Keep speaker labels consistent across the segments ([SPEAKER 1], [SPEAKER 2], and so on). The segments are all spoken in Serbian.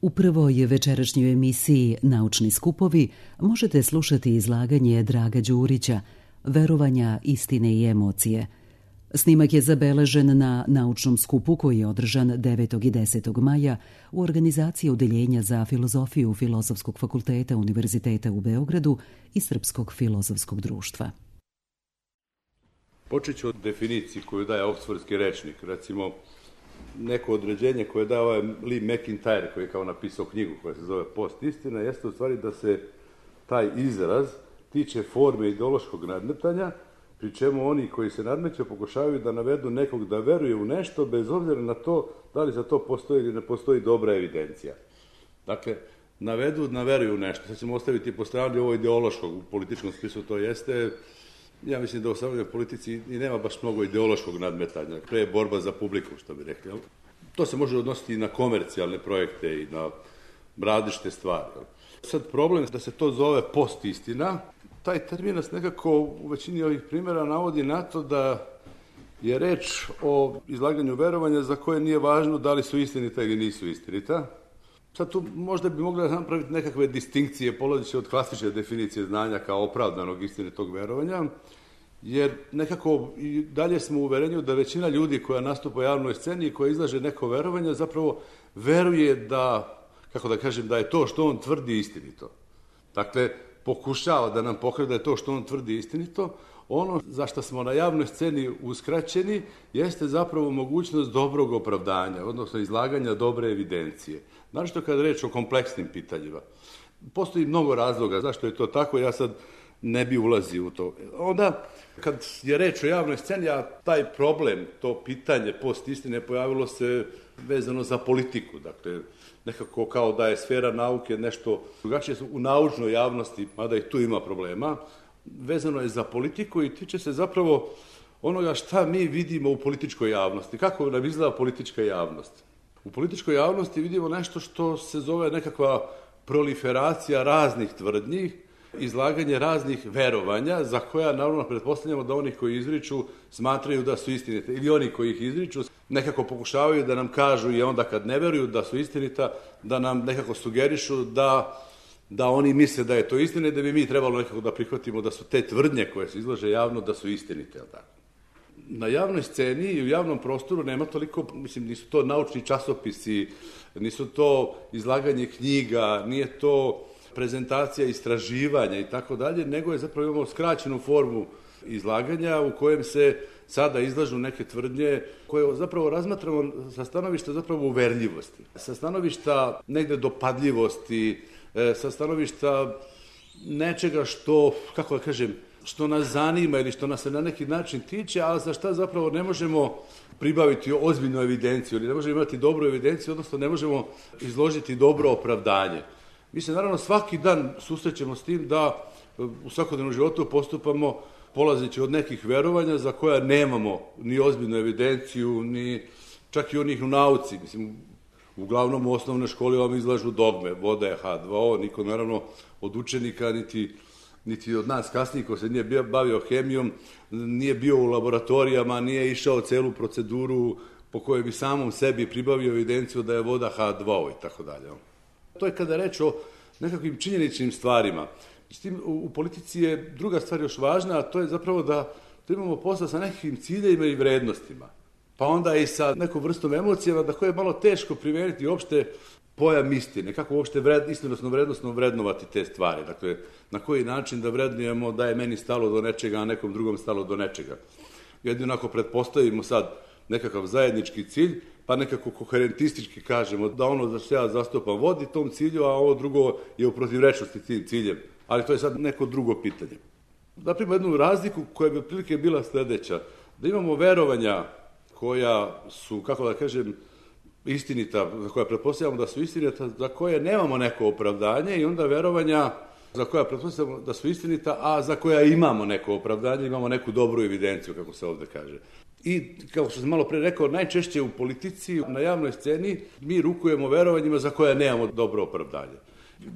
[SPEAKER 1] U prvoj večerašnjoj emisiji Naučni skupovi možete slušati izlaganje Draga Đurića Verovanja, istine i emocije. Snimak je zabeležen na naučnom skupu koji je održan 9. i 10. maja u organizaciji Odeljenja za filozofiju Filozofskog fakulteta Univerziteta u Beogradu i Srpskog filozofskog društva.
[SPEAKER 2] Počet ću od definiciji koju daje Oksfordski rečnik. Recimo, neko određenje koje daje ovaj Lee McIntyre, koji je kao napisao knjigu koja se zove Post-istina, jeste u stvari da se taj izraz tiče forme ideološkog nadmetanja, pri čemu oni koji se nadmeću pokušavaju da navedu nekog da veruje u nešto, bez obzira na to da li za to postoji ili ne postoji dobra evidencija. Dakle, navedu da veruju u nešto. Sad ćemo ostaviti po strani ovo ideološkog, u političkom smislu to jeste. Ja mislim da u savremenoj politici i nema baš mnogo ideološkog nadmetanja. Pre je borba za publiku, što bi rekli. To se može odnositi i na komercijalne projekte i na različite stvari. Sad problem je da se to zove post-istina. Taj termin nas nekako u većini ovih primjera navodi na to da je reč o izlaganju verovanja za koje nije važno da li su istinita ili nisu istinita. Sad tu možda bi mogli napraviti nekakve distinkcije, polazeći od klasične definicije znanja kao opravdanog istinitog verovanja, jer nekako i dalje smo u uverenju da većina ljudi koja nastupa u javnoj sceni i koja izlaže neko verovanje zapravo veruje da, kako da kažem, da je to što on tvrdi istinito. Dakle, pokušava da nam pokaže da je to što on tvrdi istinito. Ono za što smo na javnoj sceni uskraćeni jeste zapravo mogućnost dobrog opravdanja, odnosno izlaganja dobre evidencije. Naročito kada reč o kompleksnim pitanjima. Postoji mnogo razloga zašto je to tako, ja sad ne bi ulazio u to. Onda, kad je reč o javnoj sceni, a taj problem, to pitanje post-istine pojavilo se vezano za politiku. Dakle, nekako kao da je sfera nauke nešto drugačije u naučnoj javnosti, mada i tu ima problema, vezano je za politiku i tiče se zapravo onoga šta mi vidimo u političkoj javnosti. Kako nam izgleda politička javnost? U političkoj javnosti vidimo nešto što se zove nekakva proliferacija raznih tvrdnji, izlaganje raznih verovanja, za koja naravno pretpostavljamo da oni koji izriču smatraju da su istinite. Ili oni koji ih izriču nekako pokušavaju da nam kažu i onda kad ne veruju da su istinita, da nam nekako sugerišu da oni misle da je to istina i da bi mi trebalo nekako da prihvatimo da su te tvrdnje koje se izlaže javno da su istinite. Na javnoj sceni i u javnom prostoru nema toliko, mislim, nisu to naučni časopisi, nisu to izlaganje knjiga, nije to prezentacija istraživanja i tako dalje, nego je zapravo imamo skraćenu formu izlaganja u kojem se sada izlažu neke tvrdnje koje zapravo razmatramo sa stanovišta zapravo uverljivosti, sa stanovišta negde dopadljivosti, sa stanovišta nečega što, kako da kažem, što nas zanima ili što nas se na neki način tiče, a za šta zapravo ne možemo pribaviti ozbiljnu evidenciju ili ne možemo imati dobru evidenciju, odnosno ne možemo izložiti dobro opravdanje. Mi se naravno svaki dan susrećemo s tim da u svakodnevnom životu postupamo polazeći od nekih verovanja za koja nemamo ni ozbiljnu evidenciju, ni čak i onih u nauci. Mislim, uglavnom u osnovnoj školi vam izlažu dogme, voda je H2O, niko naravno od učenika niti od nas kasnije ko se nije bavio hemijom, nije bio u laboratorijama, nije išao celu proceduru po kojoj bi samom sebi pribavio evidenciju da je voda H2O i tako dalje. To je kada reč o nekakvim činjeničnim stvarima. S tim u politici je druga stvar još važna, a to je zapravo da imamo posla sa nekakvim ciljevima i vrednostima. Pa onda i sa nekom vrstom emocijama da koje je malo teško primeniti uopšte pojam istine, kako uopšte istinosno vrednostno vrednovati te stvari. Dakle, na koji način da vrednujemo da je meni stalo do nečega, a nekom drugom stalo do nečega. Jedino ako pretpostavimo sad nekakav zajednički cilj, pa nekako koherentistički kažemo da ono za što ja zastupam vodi tom cilju, a ovo drugo je u protivrečnosti tim ciljem. Ali to je sad neko drugo pitanje. Napravimo jednu razliku koja bi otprilike bila sledeća. Da imamo verovanja koja su, kako da kažem, istinita, za koja pretpostavljamo da su istinita, za koje nemamo neko opravdanje i onda verovanja za koja pretpostavljamo da su istinita, a za koja imamo neko opravdanje, imamo neku dobru evidenciju, kako se ovde kaže. I, kao što sam malo pre rekao, najčešće u politici, na javnoj sceni, mi rukujemo verovanjima za koja nemamo dobro opravdanje.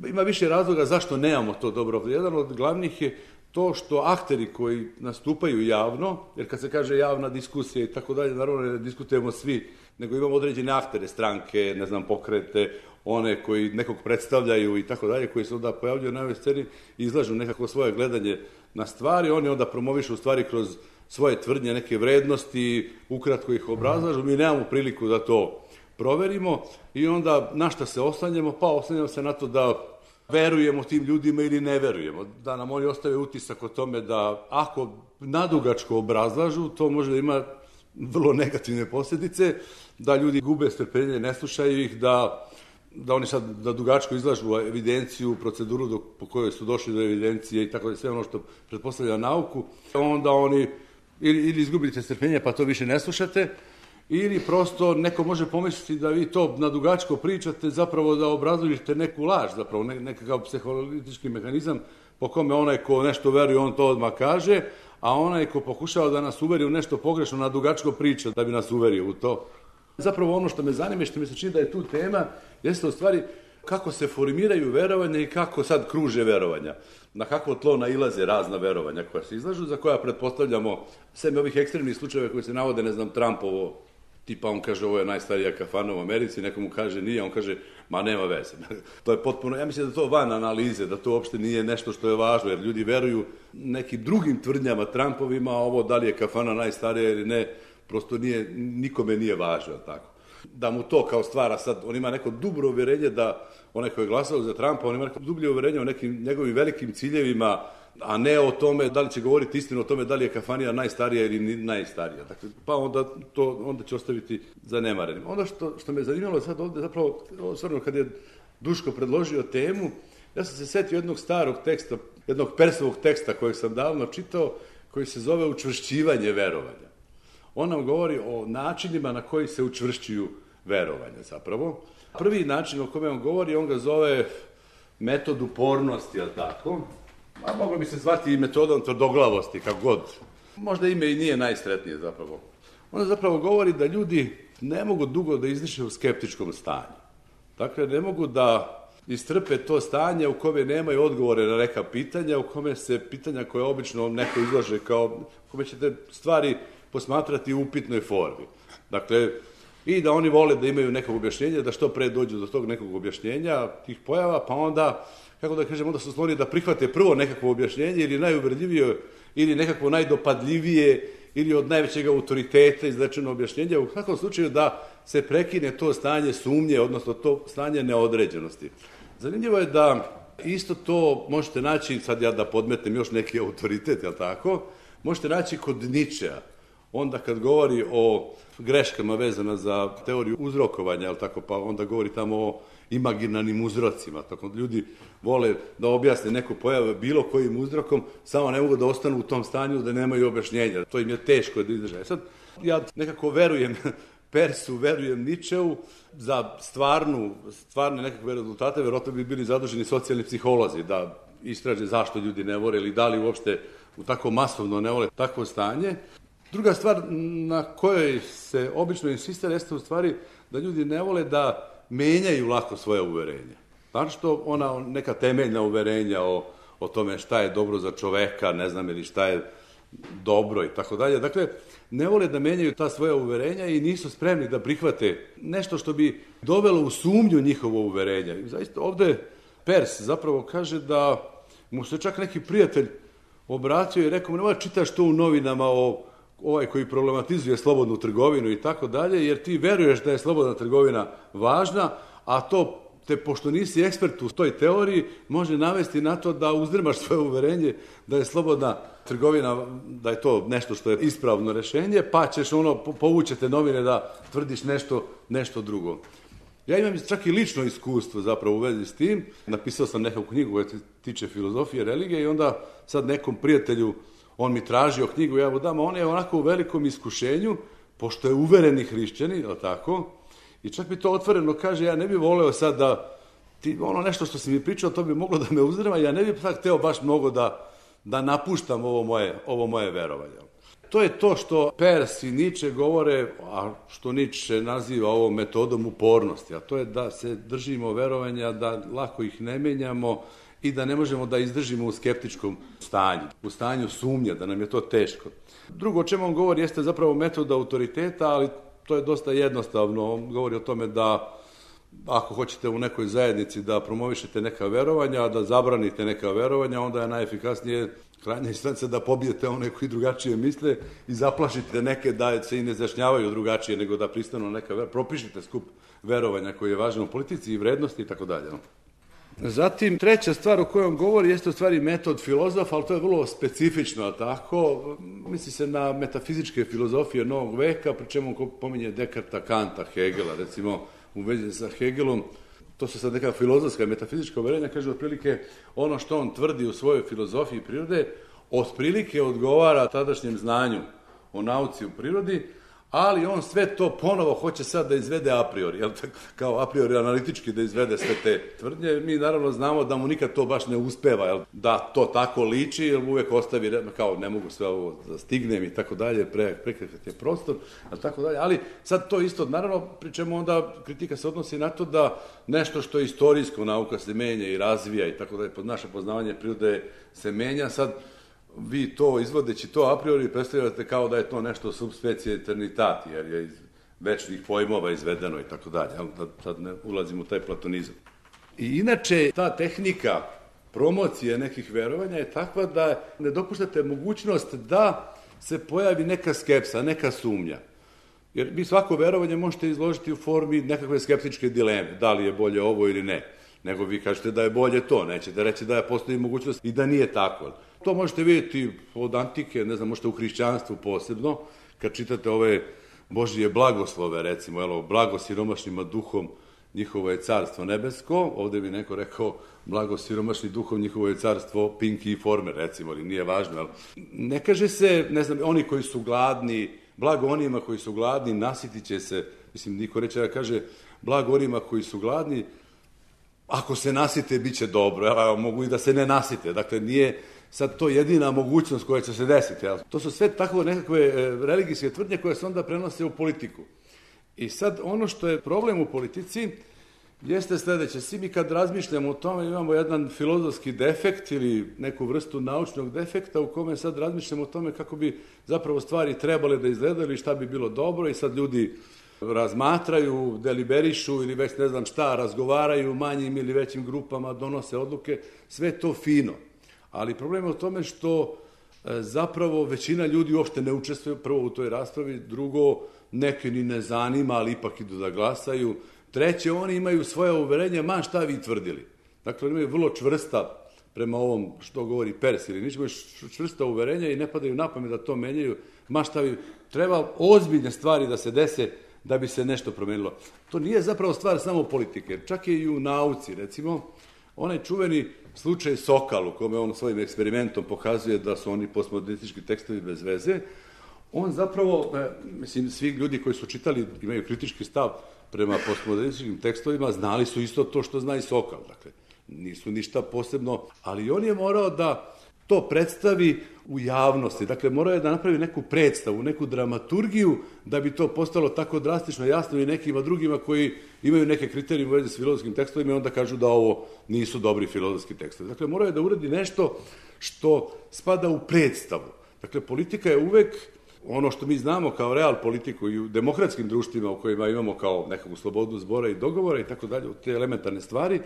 [SPEAKER 2] Ima više razloga zašto nemamo to dobro opravdanje. Jedan od glavnih je to što akteri koji nastupaju javno, jer kad se kaže javna diskusija i tako dalje, naravno ne diskutujemo svi nego imamo određene aktere, stranke, ne znam, pokrete, one koji nekog predstavljaju i tako dalje, koji se onda pojavljuju na ovoj sceni i izlažu nekako svoje gledanje na stvari, oni onda promovišu u stvari kroz svoje tvrdnje, neke vrednosti, ukratko ih obrazlažu, mi nemamo priliku da to proverimo i onda na šta se oslanjamo? Pa oslanjamo se na to da verujemo tim ljudima ili ne verujemo, da nam oni ostave utisak o tome da ako nadugačko obrazlažu, to može da ima vrlo negativne posljedice, da ljudi gube strpljenje, ne slušaju ih, da oni sad da dugačko izlažu evidenciju, proceduru po kojoj su došli do evidencije i tako da sve ono što pretpostavlja nauku, onda oni ili izgubite strpljenje pa to više ne slušate, ili prosto neko može pomisliti da vi to na dugačko pričate, zapravo da obrazložite neku laž, zapravo nekakav psiholitički mehanizam po kome onaj ko nešto veruje, on to odmah kaže, a onaj ko pokušava da nas uveri u nešto pogrešno, na dugačko priča da bi nas uverio u to. Zapravo ono što me zanima i što mi se čini da je tu tema, jeste u stvari kako se formiraju verovanja i kako sad kruže verovanja. Na kakvo tlo nailaze razna verovanja koja se izlažu, za koja pretpostavljamo sve ovih ekstremnih slučajeva koji se navode, ne znam, Trumpovo, tipa on kaže ovo je najstarija kafana u Americi, nekomu kaže nije, on kaže ma nema veze. To je potpuno, ja mislim da to van analize, da to uopšte nije nešto što je važno, jer ljudi veruju nekim drugim tvrdnjama Trumpovima, a ovo da li je kafana najstarija ili ne, prosto nikome nije važno, tako. Da mu to kao stvara sad, on ima neko dobro uverenje da onaj koji je glasao za Trumpa, on ima neko dublje uverenje o nekim njegovim velikim ciljevima, a ne o tome da li će govoriti istinu o tome da li je kafanija najstarija ili najstarija. Dakle, pa onda će ostaviti zanemarenim. Ono što me zanimalo sad ovde, zapravo, stvarno kad je Duško predložio temu, ja sam se setio jednog starog teksta, jednog Persovog teksta kojeg sam davno čitao, koji se zove Učvršćivanje verovanja. On nam govori o načinima na koji se učvršćuju verovanja, zapravo. Prvi način o kome on govori, on ga zove metod upornosti, je li tako? A moglo bi se zvati i metodom tvrdoglavosti, kako god. Možda ime i nije najsretnije, zapravo. On zapravo govori da ljudi ne mogu dugo da izdiše u skeptičkom stanju. Dakle, ne mogu da istrpe to stanje u kome nemaju odgovore na neka pitanja, u kome se pitanja koje obično neko izlaže kao, u kome ćete stvari posmatrati u upitnoj formi. Dakle, i da oni vole da imaju nekog objašnjenja, da što pre dođu do tog nekog objašnjenja, tih pojava, pa onda, kako da kažem, onda su skloni da prihvate prvo nekakvo objašnjenje ili najuvredljivije, ili nekakvo najdopadljivije, ili od najvećeg autoriteta izrečeno objašnjenje, u svakom slučaju da se prekine to stanje sumnje, odnosno to stanje neodređenosti. Zanimljivo je da isto to možete naći, sad ja da podmetem još neki autoritet, jel tako, možete naći kod Ničea. Onda kad govori o greškama vezana za teoriju uzrokovanja, jel tako, pa onda govori tamo o imaginarnim uzrocima. Tako ljudi vole da objasne neku pojavu bilo kojim uzrokom, samo ne mogu da ostanu u tom stanju da nemaju objašnjenja. To im je teško da izdrže. Sad, ja nekako verujem Persu, verujem Ničeu, za stvarne nekakve rezultate, verovatno bi bili zaduženi socijalni psiholozi da istraže zašto ljudi ne vole ili da li uopšte u tako masovno ne vole takvo stanje. Druga stvar na kojoj se obično insistira jeste u stvari da ljudi ne vole da menjaju lako svoje uverenja. Znači što ona neka temeljna uverenja o tome šta je dobro za čoveka, ne znam, ili šta je dobro i tako dalje. Dakle, ne vole da menjaju ta svoja uverenja i nisu spremni da prihvate nešto što bi dovelo u sumnju njihovo uverenja. I zaista ovde Pers zapravo kaže da mu se čak neki prijatelj obratio i rekao mu, nemoj čitaš to u novinama ovaj koji problematizuje slobodnu trgovinu i tako dalje, jer ti veruješ da je slobodna trgovina važna, a to te, pošto nisi ekspert u toj teoriji, može navesti na to da uzdrmaš svoje uverenje da je slobodna trgovina, da je to nešto što je ispravno rešenje, pa ćeš povućete novine da tvrdiš nešto drugo. Ja imam čak i lično iskustvo zapravo u vezi s tim. Napisao sam neku knjigu koja se tiče filozofije, religije i onda sad nekom prijatelju on mi tražio knjigu, ja mu dam, a on je onako u velikom iskušenju, pošto je uvereni hrišćanin, je tako? I čak mi to otvoreno kaže, ja ne bih voleo sad da, nešto što si mi pričao, to bi moglo da me uzdrma, ja ne bih sad hteo baš mnogo da napuštam ovo moje verovanje. To je to što Pers i Niče govore, a što Niče naziva ovom metodom upornosti, a to je da se držimo verovanja, da lako ih ne menjamo, i da ne možemo da izdržimo u skeptičkom stanju, u stanju sumnje, da nam je to teško. Drugo o čemu on govori jeste zapravo metoda autoriteta, ali to je dosta jednostavno. On govori o tome da ako hoćete u nekoj zajednici da promovišete neka verovanja, da zabranite neka verovanja, onda je najefikasnije krajnja instanca da pobijete one koji drugačije misle i zaplašite neke da se i ne izjašnjavaju drugačije, nego da pristanu na neka verovanja. Propišite skup verovanja koji je važan u politici i vrednosti i tako dalje. Zatim, treća stvar o kojoj on govori jeste u stvari metod filozofa, ali to je vrlo specifično, tako. Misli se na metafizičke filozofije novog veka, pri čemu on pominje Dekarta, Kanta, Hegela, recimo u vezi sa Hegelom. To su sad neka filozofska, metafizička uverenja, kaže otprilike ono što on tvrdi u svojoj filozofiji prirode, otprilike odgovara tadašnjem znanju o nauci u prirodi, ali on sve to ponovo hoće sad da izvede a priori, jel, kao a priori analitički da izvede sve te tvrdnje. Mi naravno znamo da mu nikad to baš ne uspeva, jel, da to tako liči, jer uvek ostavi kao ne mogu sve ovo da stignem i tako dalje, prekretati je prostor, tako dalje. Ali sad to isto, naravno, pri čemu onda kritika se odnosi na to da nešto što je istorijsko, nauka se menja i razvija i tako dalje, naše poznavanje prirode se menja, sad vi to izvodeći to a priori predstavljate kao da je to nešto subspecie eternitati, jer je iz večnih pojmova izvedeno i tako dalje. Sad ne ulazimo u taj platonizam. I inače, ta tehnika promocije nekih verovanja je takva da ne dopuštate mogućnost da se pojavi neka skepsa, neka sumnja. Jer vi svako verovanje možete izložiti u formi nekakve skeptičke dileme, da li je bolje ovo ili ne. Nego vi kažete da je bolje to, nećete reći da postoji mogućnost i da nije tako. To možete vidjeti od antike, ne znam, možete u hrišćanstvu posebno, kad čitate ove Božije blagoslove, recimo, blago siromašnima duhom, njihovo je carstvo nebesko, ovde bi neko rekao blago siromašni duhom, njihovo je carstvo Pinky i Former, recimo, ali nije važno. Ali ne kaže se, ne znam, oni koji su gladni, blago onima koji su gladni, nasitit će se, mislim, niko reče da kaže blago onima koji su gladni, ako se nasite, bit će dobro, a mogu i da se ne nasite. Dakle, nije sad to jedina mogućnost koja će se desiti. To su sve tako nekakve religijske tvrdnje koje se onda prenose u politiku. I sad ono što je problem u politici jeste sledeće. Svi mi kad razmišljamo o tome imamo jedan filozofski defekt ili neku vrstu naučnog defekta u kome sad razmišljamo o tome kako bi zapravo stvari trebale da izgledaju ili šta bi bilo dobro i sad ljudi razmatraju, deliberišu ili već ne znam šta, razgovaraju u manjim ili većim grupama, donose odluke, sve to fino. Ali problem je u tome što zapravo većina ljudi uopšte ne učestvuje prvo u toj raspravi, drugo, neke ni ne zanima, ali ipak idu da glasaju, treće, oni imaju svoje uverenja, ma šta vi tvrdili. Dakle, oni imaju vrlo čvrsta, prema ovom što govori Pers ili nič, imaju čvrsta uverenja i ne padaju na pamet da to menjaju, ma šta vi, treba ozbiljne stvari da se dese da bi se nešto promenilo. To nije zapravo stvar samo politike, čak je i u nauci, recimo, onaj čuveni slučaj Sokal, u kome on svojim eksperimentom pokazuje da su oni postmodernistički tekstovi bez veze, on zapravo, mislim, svi ljudi koji su čitali, imaju kritički stav prema postmodernističkim tekstovima, znali su isto to što zna i Sokal, dakle, nisu ništa posebno, ali on je morao da to predstavi u javnosti. Dakle, morao je da napravi neku predstavu, neku dramaturgiju, da bi to postalo tako drastično jasno i nekima drugima koji imaju neke kriterije u vezi s filozofskim tekstovima i onda kažu da ovo nisu dobri filozofski tekstovi. Dakle, morao je da uradi nešto što spada u predstavu. Dakle, politika je uvek ono što mi znamo kao real politiku i u demokratskim društvima u kojima imamo kao nekakvu slobodu zbora i dogovora i tako dalje, te elementarne stvari,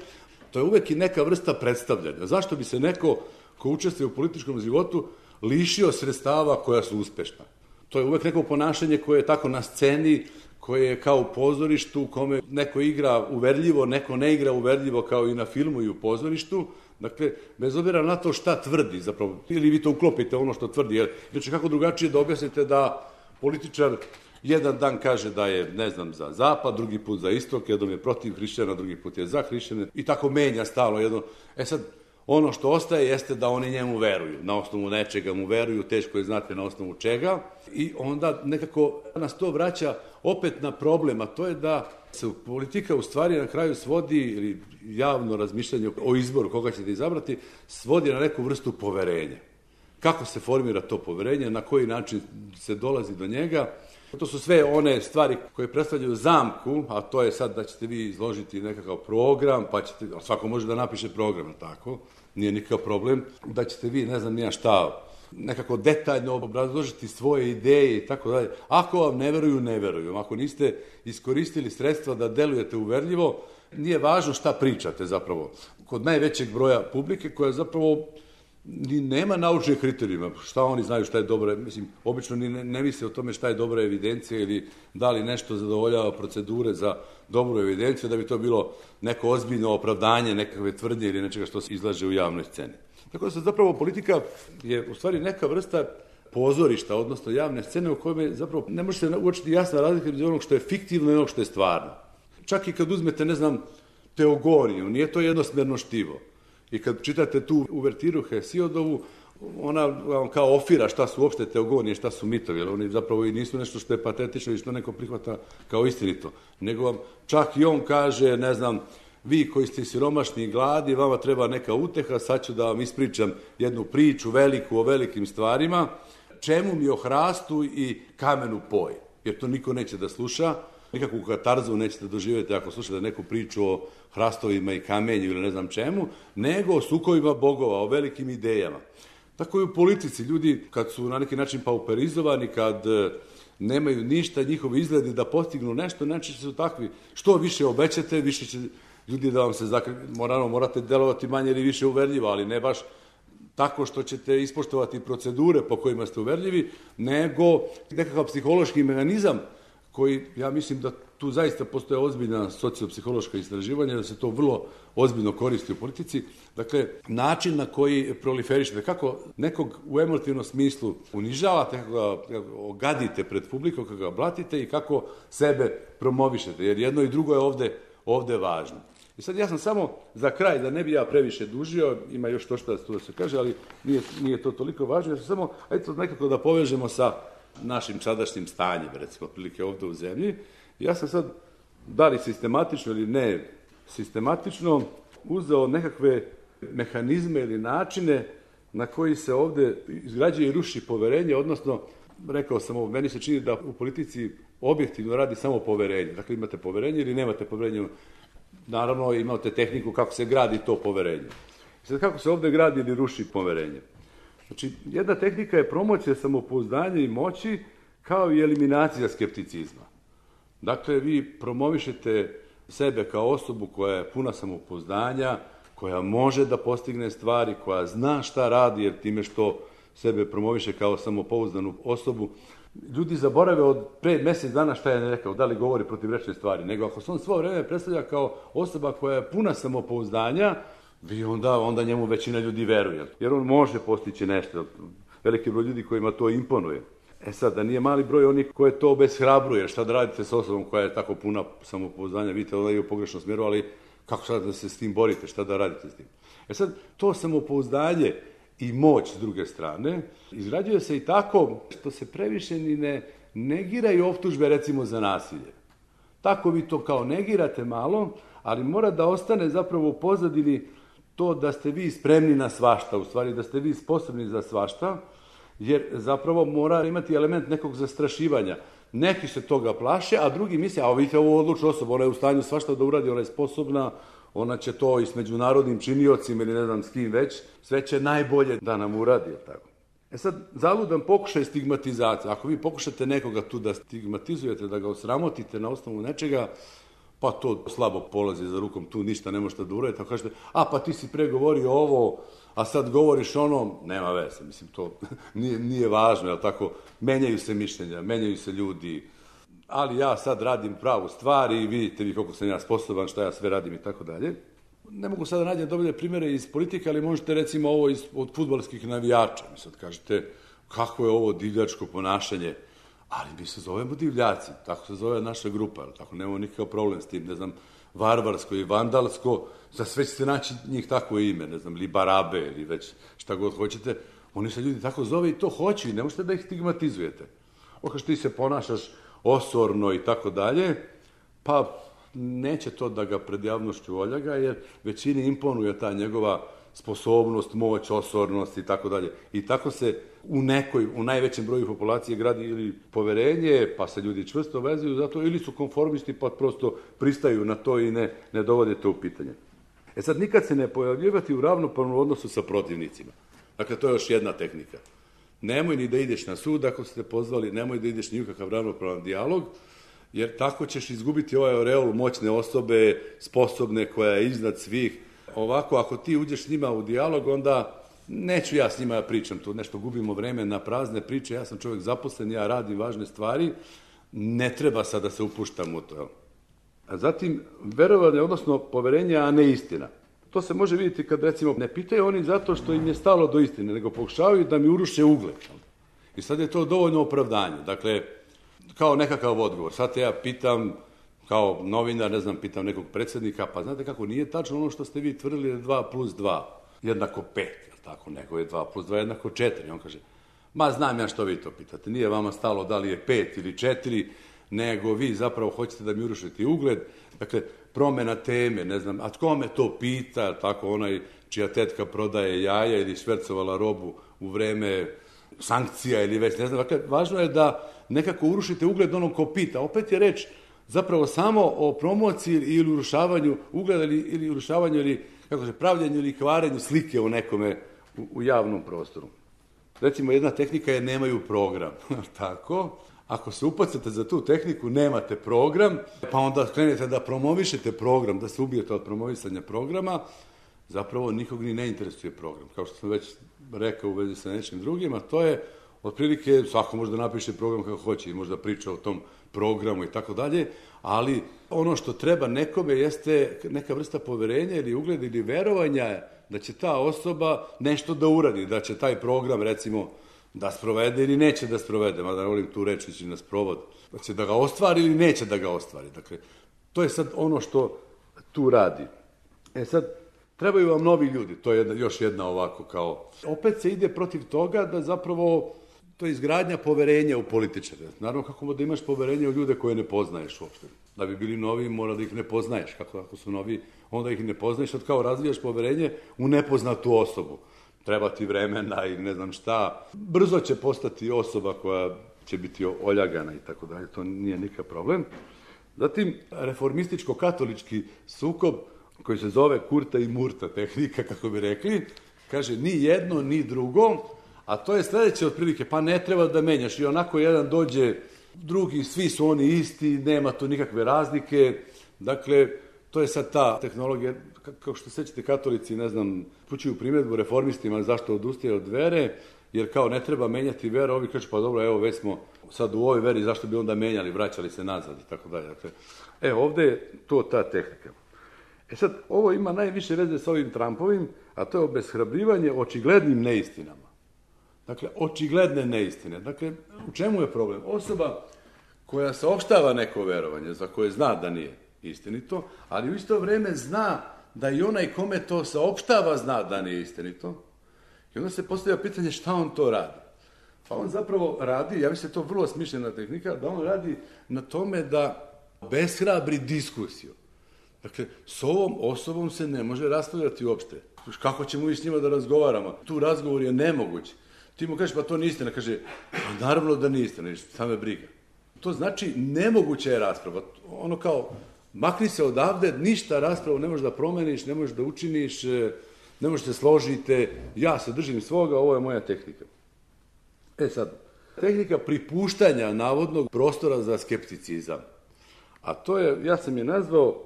[SPEAKER 2] to je uvek i neka vrsta predstavljanja. Zašto bi se neko ko učestvuje u političkom životu lišio sredstava koja su uspešna? To je uvek neko ponašanje koje je tako na sceni, koje je kao u pozorištu, u kome neko igra uverljivo, neko ne igra uverljivo kao i na filmu i u pozorištu. Dakle, bez obzira na to šta tvrdi zapravo, ili vi to uklopite ono što tvrdi, jer će kako drugačije da objasnite da političar jedan dan kaže da je, ne znam, za zapad, drugi put za istok, jednom je protiv hrišćana, drugi put je za hrišćane i tako menja stalno jedno. Sad, ono što ostaje jeste da oni njemu veruju, na osnovu nečega mu veruju, teško je znati na osnovu čega i onda nekako nas to vraća opet na problem, a to je da se politika u stvari na kraju svodi, ili javno razmišljanje o izboru koga ćete izabrati, svodi na neku vrstu poverenja. Kako se formira to poverenje, na koji način se dolazi do njega. To su sve one stvari koje predstavljaju zamku, a to je sad da ćete vi izložiti nekakav program, pa ćete, svako može da napiše program, tako, nije nikakav problem, da ćete vi, ne znam nija šta, nekako detaljno obrazložiti svoje ideje i tako dalje. Ako vam ne veruju, ne veruju. Ako niste iskoristili sredstva da delujete uverljivo, nije važno šta pričate zapravo. Kod najvećeg broja publike koja zapravo ni nema naučnih kriterijuma, šta oni znaju šta je dobro, mislim, obično ni ne misle o tome šta je dobra evidencija ili da li nešto zadovoljava procedure za dobru evidenciju, da bi to bilo neko ozbiljno opravdanje nekakve tvrdnje ili nečega što se izlaže u javnoj sceni. Tako da se zapravo politika je u stvari neka vrsta pozorišta, odnosno javne scene u kojoj zapravo ne može se uočiti jasna razlika između onog što je fiktivno i onog što je stvarno. Čak i kad uzmete, ne znam, teogoniju, nije to jednosmerno štivo. I kad čitate tu uvertiru Hesiodovu, ona vam kao ofira šta su uopšte teogonije, šta su mitovi, jer oni zapravo i nisu nešto što je patetično i što neko prihvata kao istinito. Nego vam čak i on kaže, ne znam, vi koji ste siromašni i gladi, vama treba neka uteha, sad ću da vam ispričam jednu priču veliku o velikim stvarima, čemu mi o hrastu i kamenu poj, jer to niko neće da sluša, nikakvu katarzu nećete doživjeti ako slušate neku priču o hrastovima i kamenju ili ne znam čemu, nego o sukovima bogova, o velikim idejama. Tako i u politici ljudi kad su na neki način pauperizovani, kad nemaju ništa, njihovi izgledi da postignu nešto, znači su takvi. Što više obećate, više će ljudi da vam se morate delovati manje ili više uverljivo, ali ne baš tako što ćete ispoštovati procedure po kojima ste uverljivi, nego nekakav psihološki mehanizam koji, ja mislim da tu zaista postoje ozbiljna sociopsihološka istraživanja, da se to vrlo ozbiljno koristi u politici. Dakle, način na koji proliferišete, kako nekog u emotivnom smislu unižavate, kako ga ogadite pred publikom, kako ga blatite i kako sebe promovišete, jer jedno i drugo je ovde važno. I sad ja sam samo za kraj, da ne bi ja previše dužio, ima još to što da se kaže, ali nije to toliko važno, ja sam samo, eto, nekako da povežemo sa našim sadašnjim stanjem, recimo, prilike ovde u zemlji. Ja sam sad, da li sistematično ili ne sistematično, uzeo nekakve mehanizme ili načine na koji se ovde izgrađuje i ruši poverenje, odnosno, rekao sam ovo, meni se čini da u politici objektivno radi samo poverenje. Dakle, imate poverenje ili nemate poverenje. Naravno, imate tehniku kako se gradi to poverenje. Sad, kako se ovde gradi ili ruši poverenje? Znači, jedna tehnika je promocija samopouzdanja i moći kao i eliminacija skepticizma. Dakle, vi promovišete sebe kao osobu koja je puna samopouzdanja, koja može da postigne stvari, koja zna šta radi, jer time što sebe promoviše kao samopouzdanu osobu, ljudi zaborave od pre mesec dana šta je rekao, da li govori protivrečne stvari, nego ako se on svo vreme predstavlja kao osoba koja je puna samopouzdanja, vi onda njemu većina ljudi veruje, jer on može postići nešto. Veliki broj ljudi kojima to imponuje. E sad, da nije mali broj onih koje to obeshrabruje, šta da radite sa osobom koja je tako puna samopouzdanja, vidite da je u pogrešnom smjeru, ali kako sad da se s tim borite, šta da radite s tim? E sad, to samopouzdanje i moć s druge strane izrađuje se i tako što se previše ni ne negiraju optužbe recimo za nasilje. Tako vi to kao negirate malo, ali mora da ostane zapravo u pozadini to da ste vi spremni na svašta, u stvari da ste vi sposobni za svašta, jer zapravo mora imati element nekog zastrašivanja. Neki se toga plaše, a drugi misle, a vidite ovu odlučnu osobu, ona je u stanju svašta da uradi, ona je sposobna, ona će to i s međunarodnim činiocima ili ne znam s kim već, sve će najbolje da nam uradi, je tako. E sad, zaludan pokušaj stigmatizacije. Ako vi pokušate nekoga tu da stigmatizujete, da ga osramotite na osnovu nečega, pa to slabo polazi za rukom, tu ništa ne možete da uradite, tako kažete, pa ti si pre govorio ovo, a sad govoriš ono, nema veze, mislim, to nije važno, jel tako, menjaju se mišljenja, menjaju se ljudi, ali ja sad radim pravu stvar i vidite vi koliko sam ja sposoban, šta ja sve radim i tako dalje. Ne mogu sad da nađem dobre primere iz politike, ali možete recimo ovo od fudbalskih navijača. Mi sad kažete, kako je ovo divljačko ponašanje, ali mi se zovemo divljaci, tako se zove naša grupa, tako nemamo nikakav problem s tim, ne znam, varvarsko i vandalsko, za sve ćete naći njih tako ime, ne znam, ili barabe, ili već šta god hoćete, oni se ljudi tako zove i to hoće i ne možete da ih stigmatizujete. Okaš ti se ponašaš osorno i tako dalje, pa neće to da ga pred javnošću oljaga, jer većini imponuje ta njegova sposobnost, moć, osornost i tako dalje. I tako se u najvećem broju populacije gradi ili poverenje, pa se ljudi čvrsto vezuju zato, ili su konformisti pa prosto pristaju na to i ne dovode to u pitanje. E sad, nikad se ne pojavljivati u ravnopravnom odnosu sa protivnicima. Dakle, to je još jedna tehnika. Nemoj ni da ideš na sud ako ste pozvali, nemoj da ideš ni u kakav ravnopravan dijalog, jer tako ćeš izgubiti ovaj oreol moćne osobe, sposobne, koja je iznad svih. Ovako, ako ti uđeš s njima u dijalog, onda neću ja s njima pričam, tu nešto gubimo vreme na prazne priče, ja sam čovjek zaposlen, ja radim važne stvari, ne treba sad da se upuštam u to. A zatim, verovanje, odnosno poverenje, a ne istina. To se može vidjeti kad, recimo, ne pitaju oni zato što im je stalo do istine, nego pokušavaju da mi uruše ugled. I sad je to dovoljno opravdanje. Dakle, kao nekakav odgovor. Sad te ja pitam, kao novinar, ne znam, pitam nekog predsjednika, pa znate kako, nije tačno ono što ste vi tvrdili da 2 + 2 jednako 5, jel tako, nego je 2 + 2 jednako 4. On kaže, ma znam ja što vi to pitate, nije vama stalo da li je 5 ili 4, nego vi zapravo hoćete da mi urušite ugled. Dakle, promjena teme, ne znam, a tko me to pita, tako onaj čija tetka prodaje jaja ili švercovala robu u vreme sankcija ili već, ne znam. Dakle, važno je da nekako urušite ugled onom ko pita. Opet je reč zapravo samo o promociji ili urušavanju ugleda ili urušavanju ili, kako se, pravljenju ili kvarenju slike u nekome u javnom prostoru. Recimo, jedna tehnika je nemaju program, tako. Ako se upacate za tu tehniku, nemate program, pa onda krenete da promovišete program, da se ubijete od promovisanja programa, zapravo nikog ni ne interesuje program. Kao što sam već rekao u vezi sa nečim drugim, a to je, otprilike, svako može da napiše program kako hoće i možda priča o tom programu i tako dalje, ali ono što treba nekome jeste neka vrsta poverenja ili ugleda ili verovanja da će ta osoba nešto da uradi, da će taj program, recimo, da sprovede ili neće da sprovede, mada ne volim tu reč ići na sprovod, da će da ga ostvari ili neće da ga ostvari. Dakle, to je sad ono što tu radi. Sad, trebaju vam novi ljudi, to je još jedna ovako kao... Opet se ide protiv toga da zapravo to je izgradnja poverenja u političare. Naravno, kako da imaš poverenje u ljude koje ne poznaješ uopšte. Da bi bili novi, mora da ih ne poznaješ. Kako ako su novi, onda ih ne poznaješ, sad kao razvijaš poverenje u nepoznatu osobu. Treba ti vremena i ne znam šta. Brzo će postati osoba koja će biti oljagana i tako dalje. To nije nikakav problem. Zatim, reformističko-katolički sukob koji se zove Kurta i Murta tehnika, kako bi rekli, kaže ni jedno, ni drugo, a to je sledeće otprilike, pa ne treba da menjaš. I onako jedan dođe, drugi, svi su oni isti, nema tu nikakve razlike. Dakle, to je sad ta tehnologija, kao što sećate katolici, ne znam, pućuju primjedbu reformistima zašto odustaje od vere, jer kao ne treba menjati veru, ovi kažu pa dobro, evo već smo sad u ovoj veri, zašto bi onda menjali, vraćali se nazad i tako dalje. Dakle, ovde je to ta tehnika. Sad, ovo ima najviše veze sa ovim Trumpovim, a to je obeshrabrivanje očiglednim neistinama. Dakle, očigledne neistine. Dakle, u čemu je problem? Osoba koja saopštava neko verovanje, za koje zna da nije istinito, ali u isto vreme zna da i onaj kome to saopštava zna da nije istinito. I onda se postavlja pitanje šta on to radi. Pa on zapravo radi, ja mislim da je to vrlo smišljena tehnika, da on radi na tome da obeshrabri diskusiju. Dakle, s ovom osobom se ne može raspravljati uopšte. Kako ćemo i s njima da razgovaramo? Tu razgovor je nemoguć. Ti mu kažeš, pa to nije istina. Kaže, pa naravno da nije istina, šta me briga. To znači nemoguća je rasprava. Ono kao, makni se odavde, ništa raspravu ne možeš da promeniš, ne možeš da učiniš, ne možeš da se složite, ja se držim svoga, ovo je moja tehnika. Sad, tehnika pripuštanja navodnog prostora za skepticizam. A to je, ja sam je nazvao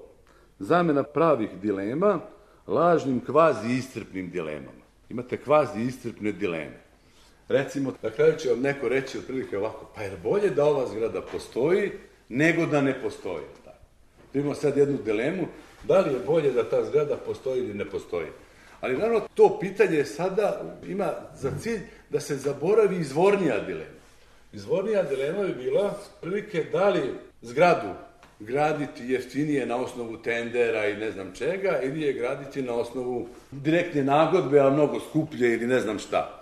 [SPEAKER 2] zamena pravih dilema lažnim kvazi-iscrpnim dilemama. Imate kvazi-iscrpne dileme. Recimo, na kraju će vam neko reći otprilike ovako, pa je bolje da ova zgrada postoji nego da ne postoji. Imamo sad jednu dilemu, da li je bolje da ta zgrada postoji ili ne postoji. Ali naravno, to pitanje sada ima za cilj da se zaboravi izvornija dilema. Izvornija dilema bi bila prilike da li zgradu graditi jeftinije na osnovu tendera i ne znam čega, ili je graditi na osnovu direktne nagodbe, a mnogo skuplje ili ne znam šta.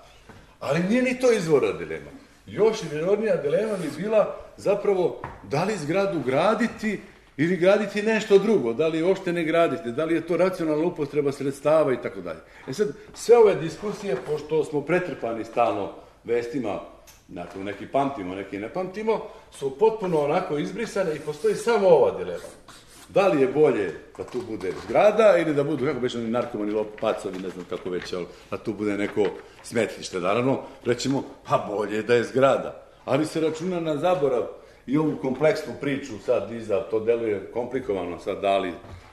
[SPEAKER 2] Ali nije ni to izvorna dilema. Još izvornija dilema bi bila zapravo da li zgradu graditi ili graditi nešto drugo, da li je uopšte ne graditi, da li je to racionalna upotreba sredstava i tako dalje. Sad, sve ove diskusije, pošto smo pretrpani stalno vestima, dakle, neki pamtimo, neki ne pamtimo, su potpuno onako izbrisane i postoji samo ova dilema. Da li je bolje da tu bude zgrada ili da budu, kako već oni narkomani, pacovi, ne znam kako već, ali da tu bude neko smetlište. Naravno, rećemo, pa bolje da je zgrada. Ali se računa na zaborav i ovu kompleksnu priču sad iza, to deluje komplikovano sad, da li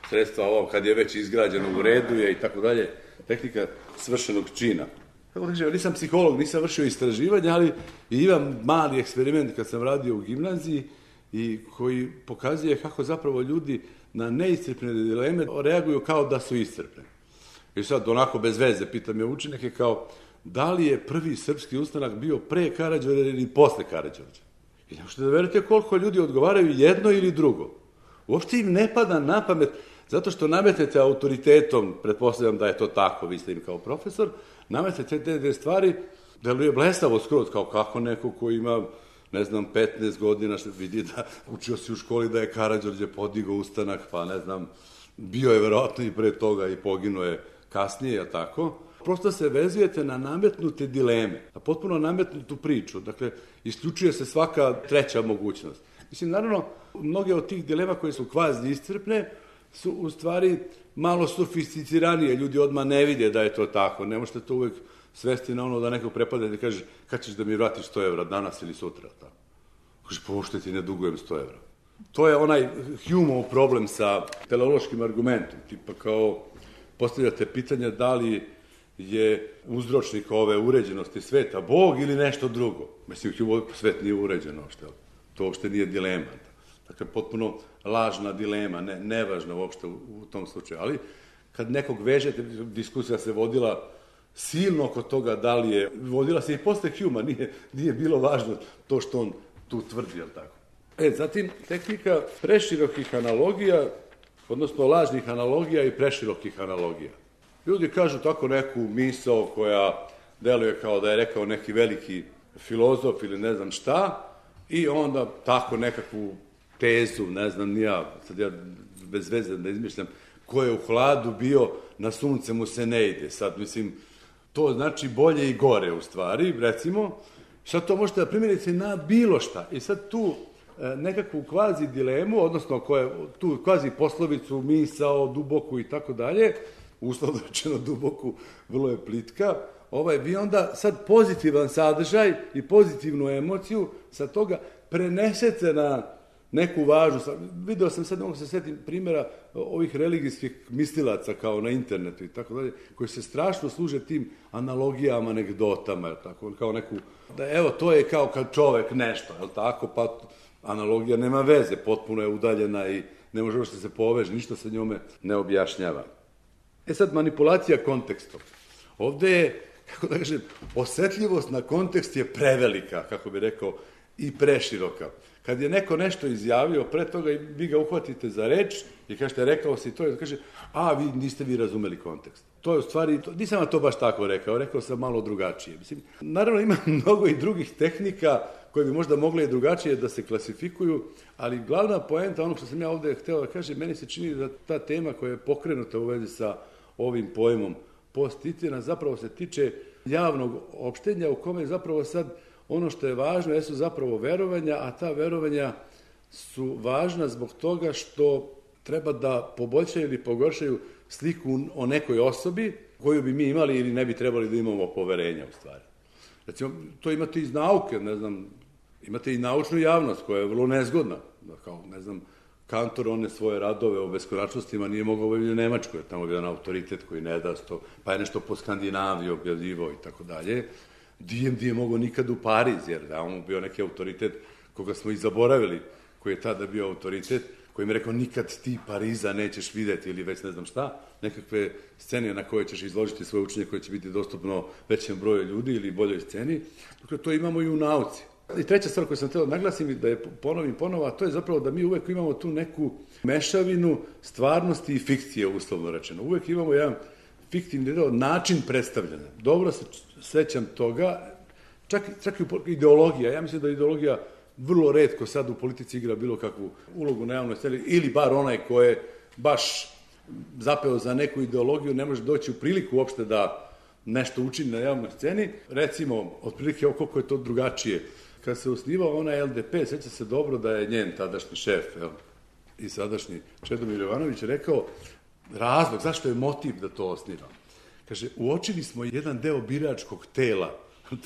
[SPEAKER 2] sredstva ovo kad je već izgrađeno u redu je i tako dalje, tehnika svršenog čina. Kako kažem, nisam psiholog, nisam vršio istraživanje, ali imam mali eksperiment kad sam radio u gimnaziji i koji pokazuje kako zapravo ljudi na neiscrpne dileme reaguju kao da su iscrpne. I sad, onako bez veze, pitam je učenike kao, da li je prvi srpski ustanak bio pre Karađorđa ili posle Karađorđa? I ne možete da verujete koliko ljudi odgovaraju jedno ili drugo. Uopšte im ne pada na pamet, zato što nametete autoritetom, pretpostavljam da je to tako, vi ste im kao profesor, nametete te stvari, deluje blesavo skroz, kao kako neko ko ima, ne znam, 15 godina, što vidi da učio si u školi da je Karađorđe podigao ustanak, pa ne znam, bio je verovatno i pre toga i poginuo je kasnije, je tako? Prosto se vezujete na nametnute dileme, na potpuno nametnutu priču, dakle, isključuje se svaka treća mogućnost. Mislim, naravno, mnoge od tih dilema koje su kvazi iscrpne su u stvari malo sofisticiranije, ljudi odmah ne vide da je to tako, ne možete to uvek svesti na ono da neko prepada i kaže kad ćeš da mi vratiš 100 evra, danas ili sutra, tako. Kaže, pošto ti ne dugujem 100 evra. To je onaj Humeov problem sa teleološkim argumentom, tipa kao postavljate pitanje da li je uzročnik ove uređenosti sveta Bog ili nešto drugo. Mislim, svet nije uređen uopšte, to uopšte nije dilema. Dakle, potpuno lažna dilema, nevažna uopšte u tom slučaju. Ali, kad nekog vežete, diskusija se vodila silno oko toga da li je, vodila se i posle Humea, nije bilo važno to što on tu tvrdi, jel tako? Zatim, tehnika preširokih analogija, odnosno lažnih analogija i preširokih analogija. Ljudi kažu tako neku misao koja deluje kao da je rekao neki veliki filozof ili ne znam šta, i onda tako nekakvu tezu, ne znam ni ja, sad ja bez veze da izmišljam, ko je u hladu bio, na sunce mu se ne ide. Sad, mislim, to znači bolje i gore u stvari, recimo, sad to možete da primjerite na bilo šta. I sad tu nekakvu kvazi dilemu, odnosno tu kvazi poslovicu, misao, duboku i tako dalje, uslovno rečeno duboku, vrlo je plitka, vi onda sad pozitivan sadržaj i pozitivnu emociju sa toga prenesete na neku važnu. Video sam sad, mogu se setim primjera ovih religijskih mislilaca kao na internetu i tako dalje, koji se strašno služe tim analogijama, anegdotama, tako, kao neku, da evo, to je kao kad čovek nešto, je tako, pa analogija nema veze, potpuno je udaljena i ne može uopšte se poveže, ništa se njome ne objašnjava. Sad, manipulacija kontekstom. Ovde je, kako da kažem, osetljivost na kontekst je prevelika, kako bi rekao, i preširoka. Kad je neko nešto izjavio, pre toga vi ga uhvatite za reč i kažete, rekao si to, i kaže, niste vi razumeli kontekst. To je u stvari, nisam vam to baš tako rekao sam malo drugačije. Mislim, naravno ima mnogo i drugih tehnika koje bi možda mogle i drugačije da se klasifikuju, ali glavna poenta, ono što sam ja ovde hteo da kažem, meni se čini da ta tema koja je pokrenuta u vezi sa ovim pojmom post-istina zapravo se tiče javnog opštenja u kome zapravo sad ono što je važno jesu zapravo verovanja, a ta verovanja su važna zbog toga što treba da poboljšaju ili pogoršaju sliku o nekoj osobi koju bi mi imali ili ne bi trebali da imamo poverenja u stvari. Recimo, to imate iz nauke, ne znam, imate i naučnu javnost koja je vrlo nezgodna. Kao, ne znam, Kantor one svoje radove o beskonačnostima nije mogao objaviti u Nemačkoj, tamo je jedan autoritet koji ne da to, pa je nešto po Skandinaviji objavljivo i tako dalje. DMD je mogao nikad u Pariz, jer da on bio neki autoritet koga smo i zaboravili, koji je tada bio autoritet, koji mi je rekao nikad ti Pariza nećeš videti ili već ne znam šta, nekakve scene na koje ćeš izložiti svoje učenje koje će biti dostupno većem broju ljudi ili boljoj sceni. Dakle, to imamo i u nauci. I treća stvar koju sam htio naglasim i da je ponovim ponovo, a to je zapravo da mi uvek imamo tu neku mešavinu stvarnosti i fikcije, uslovno rečeno. Uvek imamo jedan fiktivni način predstavljanja. Dobro se sećam toga, čak i ideologija. Ja mislim da ideologija vrlo retko sad u politici igra bilo kakvu ulogu na javnoj sceni, ili bar onaj ko je baš zapeo za neku ideologiju ne može doći u priliku uopšte da nešto učini na javnoj sceni. Recimo, otprilike koliko je to drugačije. Kad se osnivao onaj LDP, seća se dobro da je njen tadašnji šef, i sadašnji Čedomir Jovanović rekao razlog zašto je motiv da to osnivam. Kaže, uočili smo jedan deo biračkog tela,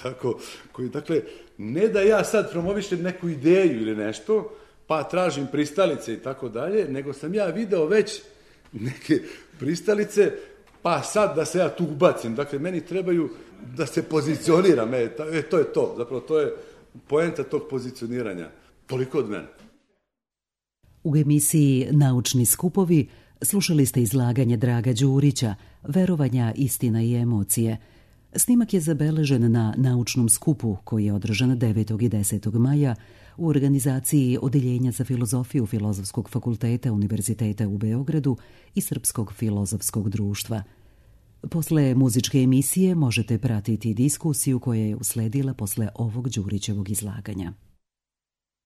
[SPEAKER 2] tako, koji, dakle, ne da ja sad promovišem neku ideju ili nešto, pa tražim pristalice i tako dalje, nego sam ja video već neke pristalice, pa sad da se ja tu ubacim. Dakle, meni trebaju da se pozicioniram. To je to. Zapravo, to je poenta tog pozicioniranja. Toliko od mene.
[SPEAKER 1] U emisiji Naučni skupovi slušali ste izlaganje Draga Đurića, Verovanja, istina i emocije. Snimak je zabeležen na naučnom skupu koji je održan 9. i 10. maja u organizaciji Odeljenja za filozofiju Filozofskog fakulteta Univerziteta u Beogradu i Srpskog filozofskog društva. Posle muzičke emisije možete pratiti diskusiju koja je usledila posle ovog Đurićevog izlaganja.